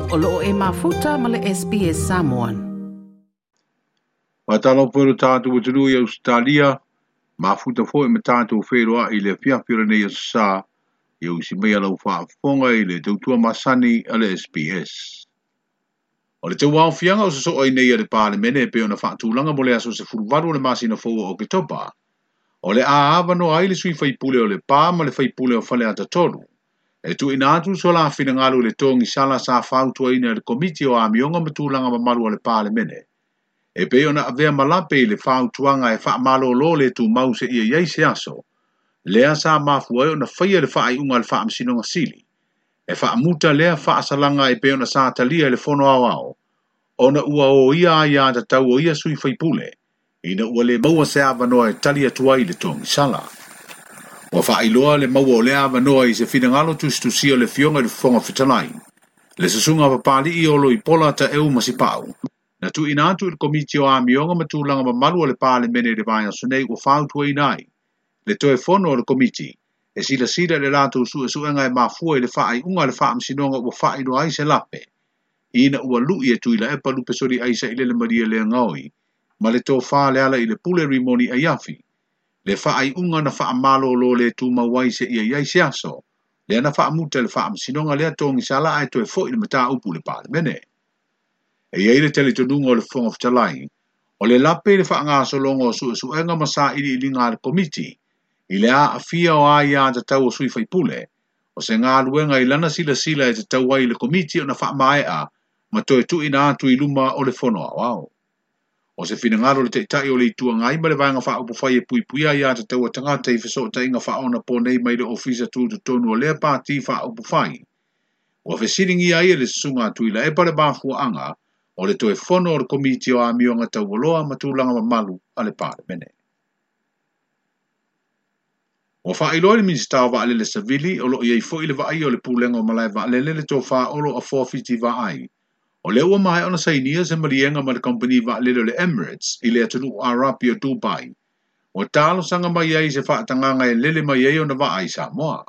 O loo e mafuta ma le SBS Samoan. Faatalofa i lo tatou atunuu i Ausetalia, mafuta foi ma tatou feiloai i le afiafi o lenei aso Sa, ia usi maia lau faafofoga i le tautua masani a le SBS. O le tauaofiaga o sosoo ai nei a le Palemene e pei ona faatulaga mo le aso 18 o le masina fou o Oketopa, o le a avanoa ai le sui faipule o Lepa ma le faipule o Faleata 3, e tuuina atu so la finagalo i le togisala sa fautuaina e le Komiti o Amioga ma Tulaga Mamalu a le Palemene, e pei ona avea ma lape i le fautuaga e faamalolo le tumau seia i ai se aso, lea sa mafua ai ona faia le faaiuga a le Faamasinoga Sili, e faamuta lea faasalaga e pei ona sa talia e le Fono Aoao, ona ua oia aiatatau o ia sui faipule, ina ua le maua se avanoa e tali atu ai i le togisala. Ua faailoa le maua o lea avanoa i se finagalo tusitusia o le Afioga i le Fofoga Fetalai, le susuga Papali'i o Loipola Taeu Masipau, na tuuina atu i le Komiti o Amioga ma Tulaga Mamalu a le Palemene i le vaiaso nei ua fautuaina ai le toe fono o le Komiti e silasila i le latou suesuega e mafua i le faaiuga a le Faamasinoga ua faailoa ai se lape, ina ua lui e Tuilaepa Lupesoli Aisailele Maria Leagaoi ma le tofa le ala i le pule Rimoni Aiafi, le faaiuga na faamalolo le tumau ai seia i ai se aso, lea na faamuta e le Faamasinoga lea togisala ae toe foi le mataupu i le Palemene. E i ai le talitonuga o le Fofoga Fetalai, o le lape i le faagasologa o suesuega ma sailiiliga a le Komiti, i le aafia o aiatatau o sui faipule, o se galuega i lana silasila e tatau ai i le Komiti ona faamaea ma toe tuuina atu i luma o le Fono Aoao. O se finagalo le Taitai o le Itu Agai ma le Vaega Faaupufai e puipuia aiatatau a tagata i fesootaiga faaonaponei mai le Ofisa Tutotonu o lea Pati Faaupufai, ua fesiligia ai e le susuga a Tuilaepa le mafuaaga o le toe fono o le Komiti o Amioga Taualoa ma Tulaga Mamalu a le Palemene. Ua faailoa i le Minisita o Vaalele Savili, o loo i ai foi le vaaia o le Pulega o Malae Vaalele le tofa Olo Afoa Fiti Vaai, o lea ua maea ona sainia se maliega ma le kamupani vaalele o le Emirates i le atunuu Arapi o Dubai, ua talosaga mai ai se faatagaga e lele mai ai ona vaa i Samoa.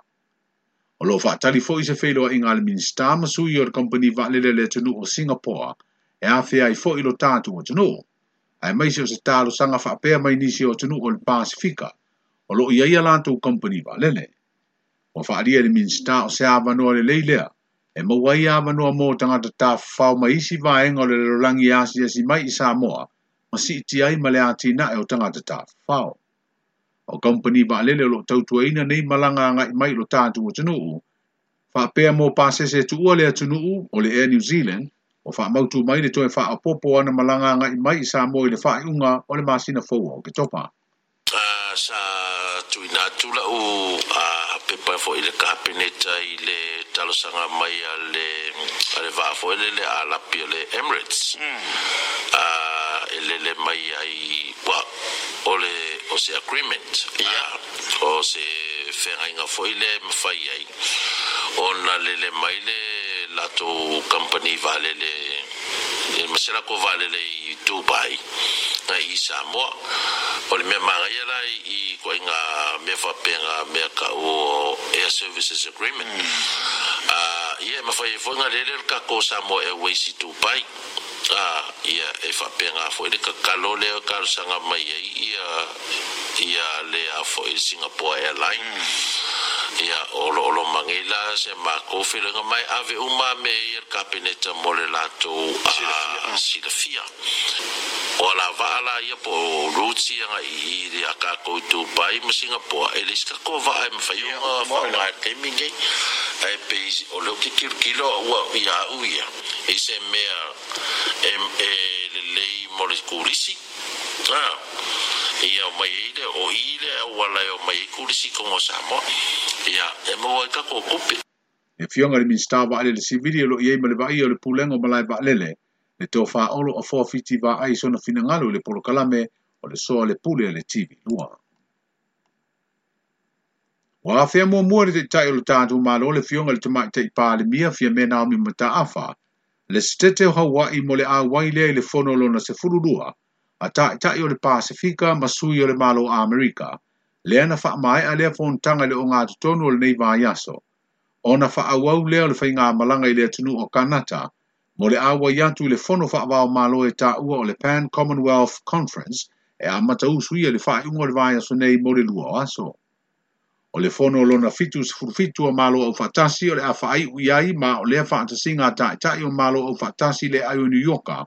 O loo faatali foi se feiloaiga a le Minisita ma sui o le kamupani vaalele a le atunuu o Singapore e afea ai foi lo tatou atunuu, aemaise o se talosaga faapea mai nisi o atunuu o le Pasifika o loo i ai a latou kamupani vaalele. Ua faaalia e le Minisita o se avanoa lelei lea e maua ai avanoa mo tagata tafafao mai isi vaega o le lalolagi e asiasi mai i Samoa ma siitia ai ma le atinae o tagata tafafao. O kamupani vaalele o loo tautuaina nei malaga agai mai i lo tatou atunuu, faapea mo pasese e tuua le atunuu o le Air New Zealand, ua faamautu mai le toe faaopoopo o ana malaga agai mai i Samoa i le faaiuga o le masina fou o Oketopa. Sa tuuina atu lau pepa foi i le Kapeneta i le talosaga mai a le vaa foi lele Alapi o le Emirates e lele mai ai ua o le o se agreement o se feagaiga foi le mafai ai ona lele mai le latou company vaalele ma se latou vaalele i Dubai i Samoa. O le mea manaia la i ituaiga mea faapea mea ta'u o Air Services Agreement. Ia e mafai ai foi ona lele le tatou Samoa Airways i Dubai. Ia e faapena foi le tatalo lea e talosaga mai ai ia le a foi Singapore Airline. Ia o lo mai nei la se matou feiloaiga mai ave uma mea ia i le Kapeneta mo le latou silafia. O la vaa la ia po o routes ia agai i a tatou i Dubai ma Singapore, e leai se tatou vaa e mafai ona faaaoga i le taimi lenei. Ae pei o lea ou te tilotilo ua ia au ia i se mea e lelei mo le turisi. Ia omai ai le o i le auala e omai ai turisi i totonu o Samoa. Ia e maua ai tatou tupe. Le Afioga i le Minisita o Vaalele Sivili o loo i ai ma le vaaia o le Pulega o Malae Vaalele, le tofa Olo Afoa Fiti Vaai i sona finagalo i le polokalame o le Soa le Pule a le TV2. Ua afea muamua e le Taitai o le tatou Malo le Afioga i le Tamaitai Palemia Fiame Naomi Mataafa, le Setete o Hawaii mo le auai lea i le fono lona 12 a Taitai o le Pasifika ma sui o le Malo Amerika, lea na faamaea lea fonotaga i le ogatotonu o lenei vaiaso, ona faaauau lea o le faigamalaga i le atunuu o Kanata, mo le auai atu i le fono faava-o-Malo e taua o le Pan Commonwealth Conference e amata usuia i le faaiuga o le vaiaso nei mo le 2 o aso. O le fono lona 77 o Malo Aufaatasi o le a faaiu i ai ma o lea faatasiga a taitai o Malo Aufaatasi i le aai o New Yorka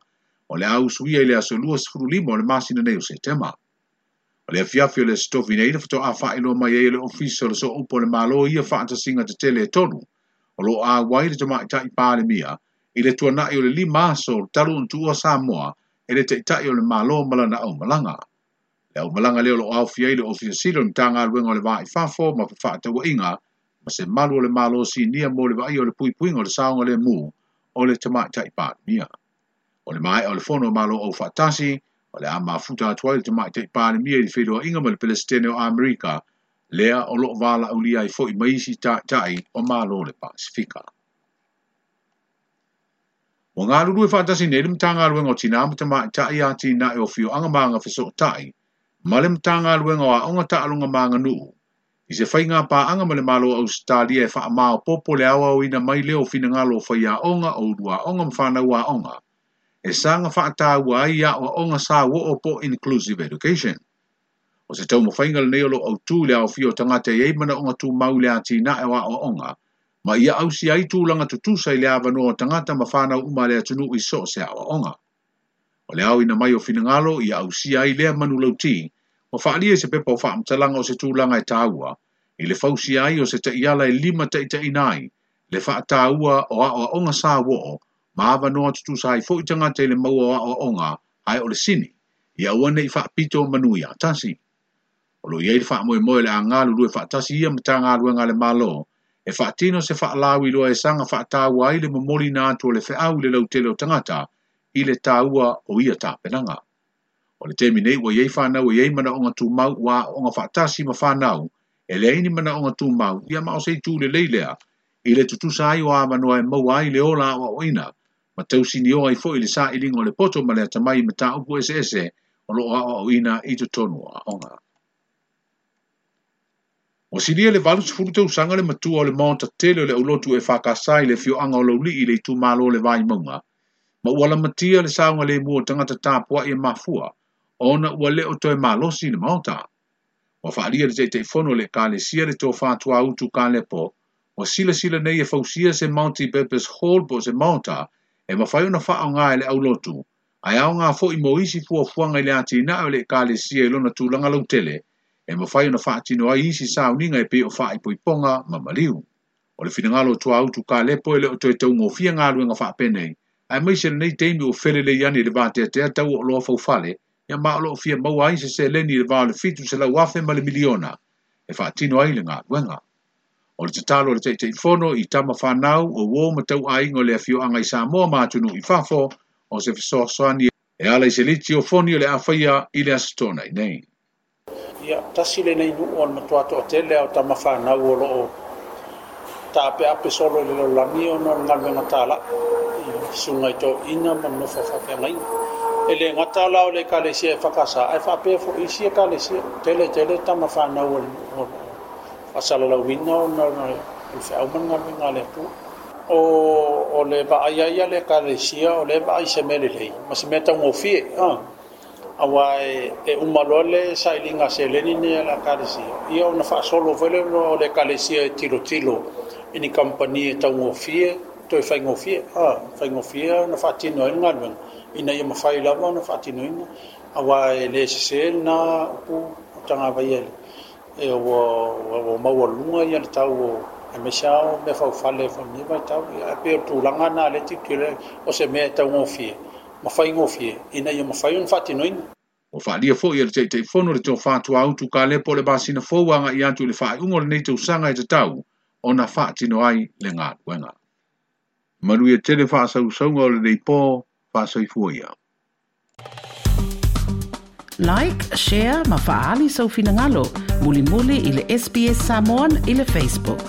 o le a usuia i le aso 25 o le masina nei o Setema. O le afiafi o le Aso Tofi nei na faatoa faailoa mai ai e le Ofisa o le Sooupu o le Malo ia faatasiga tetele e 3 o lo o auai le Tamaitai Palemia i le tuanai o le 5 aso talu ona tuua Samoa e le Taitai o le Malo ma lana aumalaga. Le aumalaga lea o lo o aofia ai le Ofisa Sili o le Matagaluega o le Va i Fafo ma Fefaatauaiga ma se malu o le Malo Sinia mo le vaaia o le puipuiga o le saogalemu o le Tamaitai Palemia. O le maea o le fono o Malo Aufaatasi, o le a mafuta atu ai le Tamaitai Palemia i le feiloaiga ma le Peresetene o Amerika, lea o lo o valaaulia ai foi ma isi taitai o Malo o le Pasefika. Ua galulue faatasi nei le Matagaluega o Tinā ma Tamaitai Atinae o Afioaga ma Agafesootai ma le Matagaluega o Aoga Taaloga ma Aganuu i se faiga paaga ma le Malo o Ausetalia e faamaopoopo le aoaoina mai lea o finagalo o faiaoga o uluaoga ma fanau aoga e saga faataua ai aoaoga sauoo po o inclusive education. O se taumafaiga lenei o lo o autū i le aofia o tagata e i ai manaoga tumau i le atinae o aoaoga ma ia ausia ai tulaga tutusa i le avanoa o tagata ma fanau uma a le atunuu i so o se aoaoga. O le aoina mai o finagalo ia ausia ai lea manulauti ua faaalia i se pepa o faamatalaga o se tulaga e taua i le fausia ai o se taiala e limataitaiina ai le faataua o aoaoga sauoo ma avanoa tutusa ai foi tagata i le maua o aoaoga ae o le sini ia aua ne i faapito manu ia tasi. O lo o i ai le faamoemoe o le a galulue faatasi ia Matagaluega a le Malo e faatino se faalauiloa e saga faataua ai le momoliina atu o le feau i le lautele o tagata i le taua o ia tapenaga. O le taimi nei ua i ai fanau e i ai manaoga tumau ua aooga faatasi ma fanau e leai ni manaoga tumau ia ma o se itu lelei lea i le tutusa ai o avanoa e maua ai le ola aoaoina ma tausinioa ai foi le sailiga o le poto ma le atamai i mataupu eseese o lo o aoaoina i totonu o aoga. Ua silia le 80 tausaga le matua o le maota tele o le aulotu EFKS i le afioaga o Laulii i le itumalo o le Vaimauga, ma ua lamatia le saogalemu o tagata tapuai e mafua ona ua le o toe malosi le maota. Ua faaalia e le Taitaifono o le Ekalesia le Tofa Tuautu Kalepo, ua silasila nei e fausia se multi-purpose hall po o se maota e mafai ona faaaoga e le aulotu, ae aoga foi mo isi fuafuaga i le atinae o le Ekalesia i lona tulaga lautele, e mafai ona faatino ai isi sauniga e pei o faaipoipoga ma maliu. O le finagalo o Tuautu Kalepo e le o toe taugofie galuega faapenei, aemaise lenei taimi ua felelei ane i le vateatea tau o oloa faufale, ia ma o lo o fia maua ai se seleni i le va o le 700,000 ma le miliona e faatino ai le galuega. O le tatalo a le Taitaifono i tama fanau o uo ma tauaiga o le afioaga i Samoa ma atunuu i fafo o se fesoasoani e ala i se liti o foni o le a faia i le Aso Toonai nei. Ia, tasi lenei nuu o le matua toatele lava o tama fanau o lo o taapeape solo i le lalolagi ona o le galuega talai i susuga i toeaiina ma nofo faafeagaiga. E le gata la o le Ekalesia EFKS, ae faapea foi isi Ekalesia. Tele tele tama fanau o le nuu o lo o faasalalauina ona o le feau ma le galuega a le Atua. O le vaai ai a le Ekalesia, o lea e vaai i se mea lelei ma se mea taugofie. Aua e uma loa le sailiga seleni nei a le Ekalesia, ia ona faasolo foi lea o le Ekalesia e tilotilo i ni kamupani e taugofie, toe faigofie, faigofie ona faatino ai le galuega, ina ia mafai lava ona faatinoina, aua e le sese lena upu o tagavaia e ua maualuga le tau o aemaise lava o mea faufale foi i lenei vaitau. Ae pei o le tulaga lena o lea e tilotilo ai, o se mea e taugofie ma faigofie ina ia mafai ona faatinoina. Ua faaalia foi e le Taitaifono le Tofa Tuautu Kalepo le masina fou agai atu i le faaiuga o lenei tausaga e tatau ona faatino ai le galuega. Manuia tele faasausauga o lenei po, faasoifua ia. Like, share ma faaali sou finagalo mulimuli i le SBS Samoan i le Facebook.